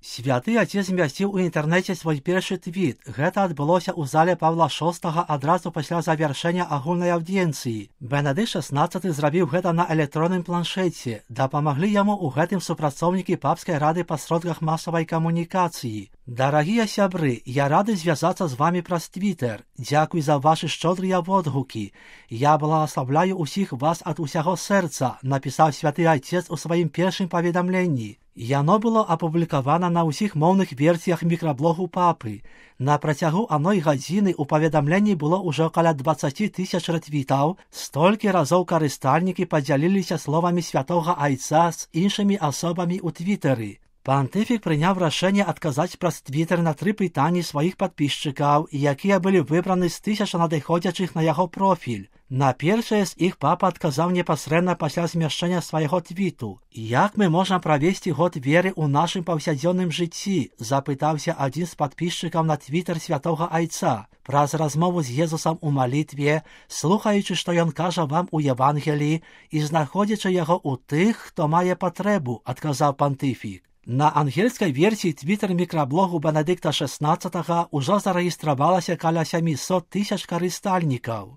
Святы Отец змясціў у інтэрнэце свой першы твіт. Гэта адбылося ў зале Павла VI адразу пасля завяршэння агульнай аўдыенцыі. Бенедыкт XVI зрабіў гэта на электронным планшеце. Дапамаглі яму ў гэтым супрацоўнікі папскай рады па сродках масавай камунікацыі. Дарагія сябры, я рады звязацца з вамі праз Твітер. Дзякуй за вашы шчодрыя водгукі. Я благаславляю усіх вас ад усяго сэрца, напісаў святы Отец у сваім першым паведамленні. Яно было апублікавана на ўсіх моўных версіях мікраблогу папы. На працягу адной гадзіны ў паведамленні было ўжо каля 20 000 рэтвітаў, столькі разоў карыстальнікі падзяліліся словамі святога Айца з іншымі асобамі ў Твітэры. Пантыфік прыняў рашэнне адказаць праз Твітер на 3 пытанні сваіх падпісчыкаў, якія былі выбраны з 1000 надыходзячых на яго профіль. На першае з іх папа адказаў непасрэдна пасля змяшчэння свайго твіту. «Як мы можам правесці год веры ў нашым паўсядзённым жыцці?» – запытаўся адзін з падпісчыкаў на Твітер святога Айца. Праз размову з Езусам у малітве, слухаючы, што ён кажа вам у Евангеліі і знаходзячы яго ў тых, хто мае патрэбу, адказаў пантыфік. На ангельскай версіі Твітер-мікраблогу Бенедыкта XVI ўжо зарэгістравалася каля 700 000 карыстальнікаў.